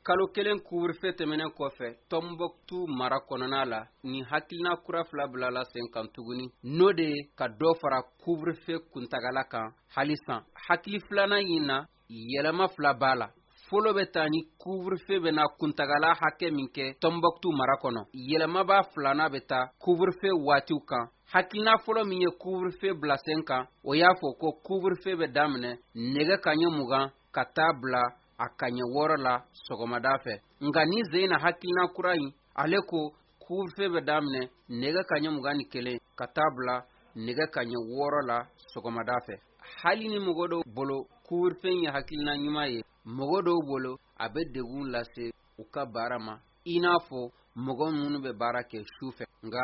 Kalo kelen couvre-feu tɛmɛnen kɔfɛ Tɔnbɔkutu mara kɔnɔna la, nin hakilina kura fila bilala sen kan tuguni, n'o de ye ka dɔ fara couvre-feu kuntagala kan halisa. Hakili filanan in na, yɛlɛma fila b'a la. Fɔlɔ bɛ taa ni couvre-feu bɛna kuntagala hakɛ min kɛ Tɔnbɔkutu mara kɔnɔ. Yɛlɛmaba filanan bɛ taa couvre-feu waatiw kan. Hakilina fɔlɔ min ye couvre-feu bila sen kan, o y'a fɔ ko couvre-feu bɛ daminɛ nɛgɛ kaɲɛ 20 ka taa bila a kaɲɛ 6 la sɔgɔmada fɛ. Nka nin sen na hakilina kura in, ale ko couvre-feu bɛ daminɛ nɛgɛ kaɲɛ 21 ka taa bila nɛgɛ kaɲɛ 6 la sɔgɔmada fɛ. Hali ni mɔgɔ dɔw bolo couvre-feu ye hakilina ɲuman ye, mɔgɔ dɔw bolo a bɛ degun lase u ka baara ma, i n'a fɔ mɔgɔ minnu bɛ baara kɛ su fɛ. Nka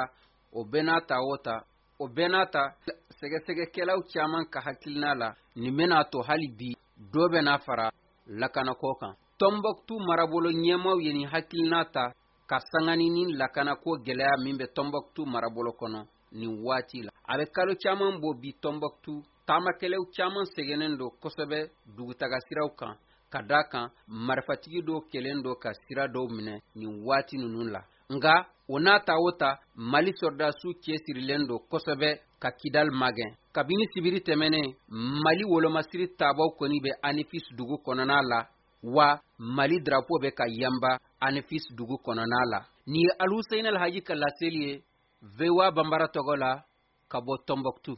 o bɛɛ n'a ta o ta o bɛɛ n'a ta, sɛgɛsɛgɛkɛlaw caman ka hakilina la, nin bɛna to hali bi dɔ bɛna fara lakanako kan. Tɔnbɔkutu marabolo ɲɛmaaw ye nin hakilina ta ka sanga ni nin lakanako gɛlɛya min bɛ Tɔnbɔkutu marabolo kɔnɔ nin waati la. A bɛ kalo caman bɔ bi, Tɔnbɔkutu taamakɛlaw caman sɛgɛnnen don kosɛbɛ dugutaga siraw kan, ka da kan marifatigi dɔw kɛlen don ka sira dɔw minɛ nin waati ninnu la. Nka o n'a ta o ta, Mali sɔrɔdasiw cɛsirilen don kosɛbɛ ka Kidal magɛn. Kabini sibiri tɛmɛnen, Mali wolomasiri tabaw kɔni bɛ Anefis dugu kɔnɔna la, wa Mali drapeau bɛ ka yanba Anefis dugu kɔnɔna la. Nin ye Aluseyini Alhaji ka laseli ye VOA Banbara tɔgɔ la ka bɔ Tɔnbɔkutu.